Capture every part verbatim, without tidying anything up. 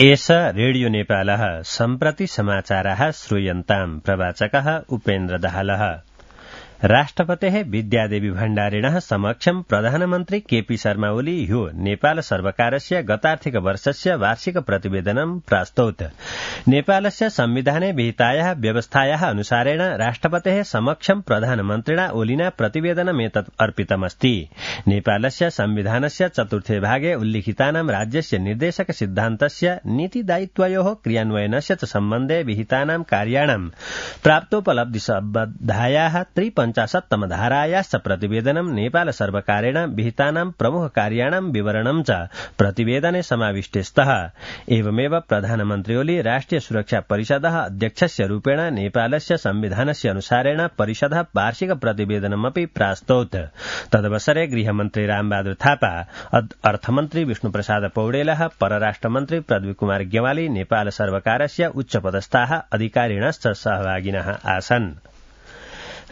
एष रेडियो नेपालः सम्प्रति समाचाराः श्रूयन्ताम् प्रवाचकः उपेन्द्र दाहालः। राष्ट्रपतेः विद्यादेवी भण्डारिणः समक्षं प्रधानमन्त्री केपी शर्मा ओली ह्यो नेपाल सर्वकारस्य गतार्थिक वर्षस्य वार्षिक प्रतिवेदनं प्रास्तौत्। नेपालस्य संविधाने विहितायाः व्यवस्थायाः अनुसारेण राष्ट्रपतेः समक्षं प्रधानमन्त्रिणा ओलिना प्रतिवेदनमेतत् अर्पितमस्ति। नेपालस्य संविधानस्य चतुर्थे भागे उल्लिखितानां राज्यस्य निर्देशक सिद्धान्तस्य नीतिदायित्वयोः क्रियान्वयनस्य च सम्बन्धे विहितानां कार्याणां प्राप्तोपलब्धिसम्बद्धायाः त्रिपञ्च पञ्चाशत्तम धारायाश्च प्रतिवेदनं नेपाल सर्वकारेण विहितानां प्रमुख कार्याणां विवरणं च प्रतिवेदने समाविष्टे स्तः। एवमेव प्रधानमन्त्री ओली राष्ट्रिय सुरक्षा परिषदः अध्यक्षस्य रूपेण नेपालस्य संविधानस्य अनुसारेण परिषदः वार्षिक प्रतिवेदनमपि प्रास्तौत्। तदवसरे गृहमन्त्री रामबहादुर थापा, अर्थमन्त्री विष्णुप्रसाद पौडेलः, परराष्ट्रमन्त्री पृथ्वी कुमार गेवाली, नेपाल सर्वकारस्य उच्चपदस्थाः अधिकारिणश्च सहभागिनः आसन्।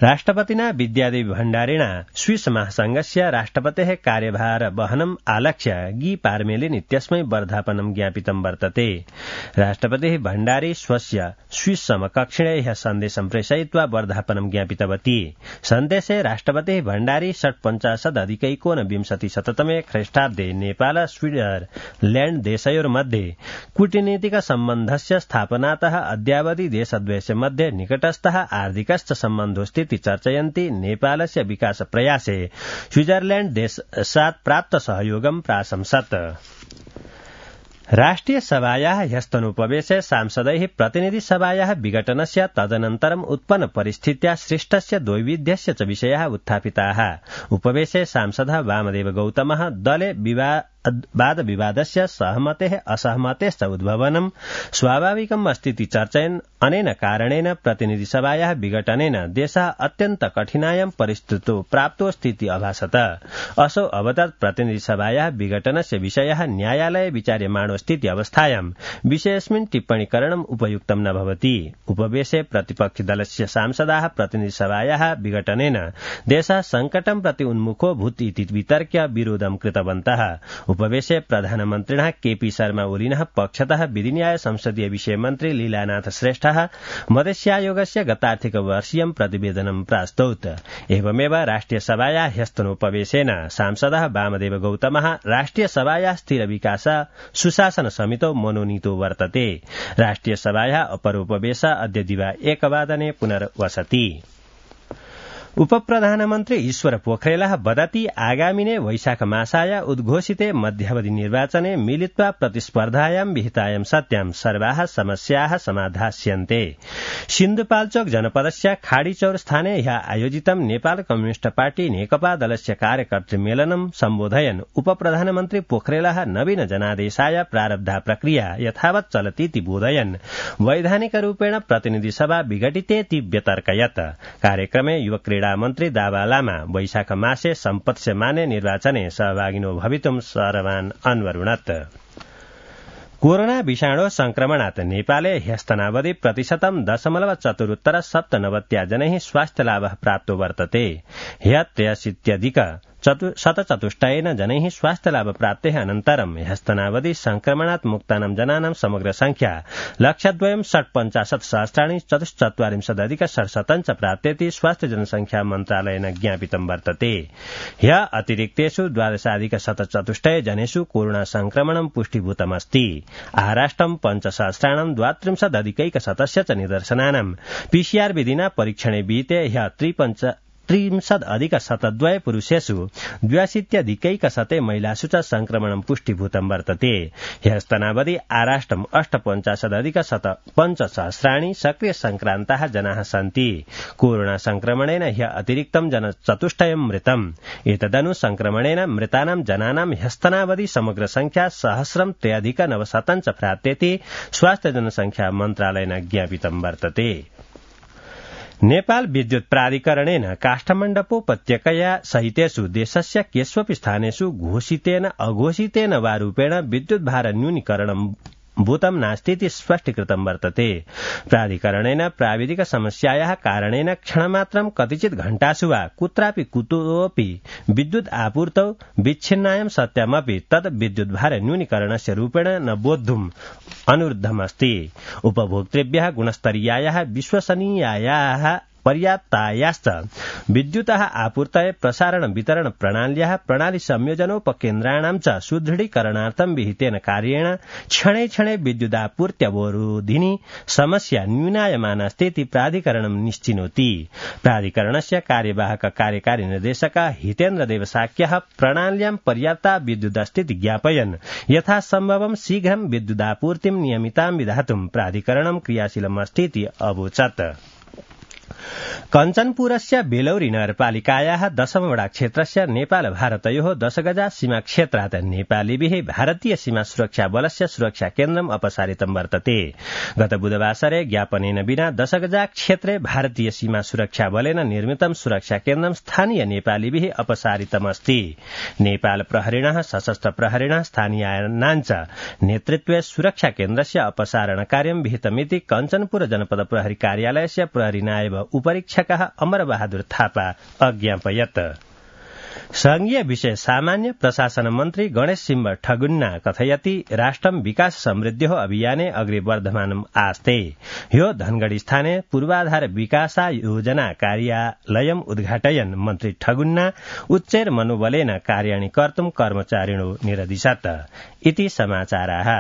राष्ट्रपतिना विद्यादेवी भण्डारिणा स्विस महासंघस्य राष्ट्रपतेः कार्यभार वहनम् आलक्ष्य गी पार्मेलिन इत्यस्मै वर्धापनं ज्ञापितं वर्तते। राष्ट्रपतिः भण्डारी स्वस्य स्विस समकक्षिणे ह्यः सन्देशं प्रेषयित्वा वर्धापनं ज्ञापितवती। सन्देशे राष्ट्रपतिः भण्डारी षट्पञ्चाशदधिकैकोनविंशति शततमे ख्रीष्टाब्दे नेपाल स्विट्जरलैण्ड देशयोर्मध्ये कूटनीतिक सम्बन्धस्य स्थापनातः अद्यावधि देशद्वयस्य मध्ये निकटस्थः आर्थिकश्च सम्बन्धोऽस्ति चर्चयन्ति नेपालस्य विकास प्रयासे स्विट्जरलैण्ड देशात् प्राप्त सहयोगं प्राशंसत्। राष्ट्रिय सभायाः ह्यस्तनोपवेशे सांसदैः प्रतिनिधि सभायाः विघटनस्य तदनन्तरम् उत्पन्न परिस्थित्याः सृष्टस्य द्वैविध्यस्य च विषयाः उत्थापिताः। उपवेशे सांसदः वामदेव गौतमः दले विवाद वाद विवादस्य सहमतेः असहमतेश्च उद्भवनं स्वाभाविकम् अस्तीति चर्चयन् अनेन कारणेन प्रतिनिधि सभायाः विघटनेन देशः अत्यन्त कठिनायां परिस्थितौ प्राप्तोऽस्तीति अभासत। असौ अवदत् प्रतिनिधि सभायाः विघटनस्य विषयः न्यायालये विचार्यमाणोऽस्तीति अवस्थायां विषयेऽस्मिन् टिप्पणीकरणम् उपयुक्तं न भवति। उपवेशे प्रतिपक्षि दलस्य सांसदाः प्रतिनिधि सभायाः विघटनेन देशः संकटं प्रति उन्मुखो भूत् इति वितर्क्य विरोधं कृतवन्तः। उपवेशे प्रधानमन्त्रिणः केपी शर्मा ओलिनः पक्षतः विधिन्याय संसदीय विषय मन्त्री लीलानाथ श्रेष्ठः मधेस्यायोगस्य गतार्थिक वर्षीयं प्रतिवेदनं प्रास्तौत्। एवमेव राष्ट्रिय सभायाः ह्यस्तनोपवेशेन सांसदः वामदेव गौतमः राष्ट्रिय सभायाः स्थिर विकास सुशासन समितौ मनोनीतो वर्तते। राष्ट्रिय सभायाः अपरोपवेश अद्य दिवा एकवादने पुनर्वसति। उपप्रधानमन्त्री ईश्वर पोखरेलः वदति आगामिने वैशाख मासाय उद्घोषिते मध्यावधि निर्वाचने मिलित्वा प्रतिस्पर्धायां विहितायां सत्यां सर्वाः समस्याः समाधास्यन्ते। सिन्धुपाल्चोक जनपदस्य खाडीचौर स्थाने ह्यः आयोजितं नेपाल कम्युनिष्ट पार्टी नेकपा दलस्य कार्यकर्तृमेलनं सम्बोधयन् उपप्रधानमन्त्री पोखरेलः नवीन जनादेशाय प्रारब्धा प्रक्रिया यथावत् चलतीति बोधयन् वैधानिकरूपेण प्रतिनिधि सभा विघटितेति व्यतर्कयत्। कार्यक्रमे युव क्रीडा मन्त्री दावा लामा वैशाख मासे सम्पत्स्यमाने निर्वाचने सहभागिनो भवितुं सर्वान् अन्वरुणत्। कोरोना विषाणो संक्रमणात् नेपाले ह्यस्तनावधि प्रतिशतं दशमलव चतुरुत्तर सप्तनवत्या जनैः स्वास्थ्यलाभः प्राप्तो वर्तते। ह्य त्रयाशीत्यधिक शतचतुष्टयेन जनैः स्वास्थ्यलाभ प्राप्तेः अनन्तरं ह्यस्तनावधि संक्रमणात् मुक्तानां जनानां समग्र संख्या लक्षद्वयं षट्पञ्चाशत् सहस्राणि चतुश्चत्वारिंशदधिक षट्शतं च प्राप्तेति स्वास्थ्य जनसंख्या मन्त्रालयेन ज्ञापितं वर्तते। ह्य अतिरिक्तेषु द्वादशाधिक शतचतुष्टय जनेषु कोरोना संक्रमणं पुष्टीभूतमस्ति। आहाराष्टं पञ्चसहस्राणां द्वात्रिंशदधिकैकशतस्य च निदर्शनानां पीसीआर विधिना परीक्षणे विहिते ह्य त्रिपञ्च त्रिंशदधिक शतद्वय पुरुषेषु द्व्यशीत्यधिकैकशते महिलासु च संक्रमणं पुष्टीभूतं वर्तते। ह्यस्तनावधि आराष्टम् अष्टपञ्चाशदधिक शत पञ्चसहस्राणि सक्रिय संक्रान्ताः जनाः सन्ति। कोरोना संक्रमणेन ह्य अतिरिक्तं जन चतुष्टयं मृतम्। एतदनु संक्रमणेन मृतानां जनानां ह्यस्तनावधि समग्र संख्या सहस्रं त्र्यधिक नवशतं च प्राप्तेति स्वास्थ्य जनसंख्या मन्त्रालयेन ज्ञापितं वर्तते। नेपाल विद्युत प्राधिकरणेन काष्ठमण्डपोपत्यकया सहितेषु देशस्य केष्वपि स्थानेषु घोषितेन अघोषितेन वा रूपेण विद्युत भार न्यूनीकरणं भूतं नास्तीति स्पष्टीकृतं वर्तते। प्राधिकरणेन प्राविधिक समस्यायाः कारणेन क्षणमात्रं कतिचित् घण्टासु वा कुत्रापि कुतोऽपि विद्युत् आपूर्तौ विच्छिन्नायं सत्यमपि तत् विद्युद्भार न्यूनीकरणस्य रूपेण न बोद्धुम् अनुरुद्धमस्ति। उपभोक्तृभ्यः गुणस्तरीयायाः विश्वसनीयायाः पर्याप्तायाश्च विद्युतः आपूर्तये प्रसारण वितरण प्रणाल्याः प्रणाली संयोजनोपकेन्द्राणां च सुदृढीकरणार्थं विहितेन कार्येण क्षणे क्षणे विद्युदापूर्त्यवरोधिनी समस्या न्यूनायमानास्तीति प्राधिकरणं निश्चिनोति। प्राधिकरणस्य कार्यवाहक कार्यकारी निर्देशक हितेन्द्रदेव साक्यः प्रणाल्यां पर्याप्ता विद्युदस्तीति ज्ञापयन् यथासम्भवं शीघ्रं विद्युदापूर्तिं नियमितां विधातुं प्राधिकरणं क्रियाशीलमस्तीति अवोचत्। कञ्चनपुरस्य बेलौरी नगरपालिकायाः दशमवडा क्षेत्रस्य नेपाल भारतयोः दशगजा सीमा क्षेत्रात् नेपालीभिः भारतीय सीमा सुरक्षा बलस्य सुरक्षा केन्द्रम् अपसारितं वर्तते। गत बुधवासरे ज्ञापनेन विना दशगजा क्षेत्रे भारतीय सीमा सुरक्षा बलेन निर्मितं सुरक्षा केन्द्रं स्थानीय नेपालीभिः अपसारितमस्ति। नेपाल प्रहरिणः सशस्त्र प्रहरिणः स्थानीयानाञ्च नेतृत्वे सुरक्षा केन्द्रस्य अपसारण कार्यं विहितमिति कञ्चनपुर जनपद प्रहरी कार्यालयस्य प्रहरी नायब उपरीक्षकः अमरबहादुर थापा अज्ञापयत्। संघीय विषय सामान्य प्रशासन मन्त्री गणेश सिंह ठगुन्ना कथयति राष्ट्रं विकास समृद्ध्यो अभियाने अग्रे वर्धमानम् आस्ते। ह्यो धनगढ़ी स्थाने पूर्वाधार विकासा योजना कार्यालयम् उद्घाटयन् मन्त्री ठगुन्ना उच्चैर मनोबलेन कार्याणि कर्तुं कर्मचारिणो निरदिशत् इति समाचाराः।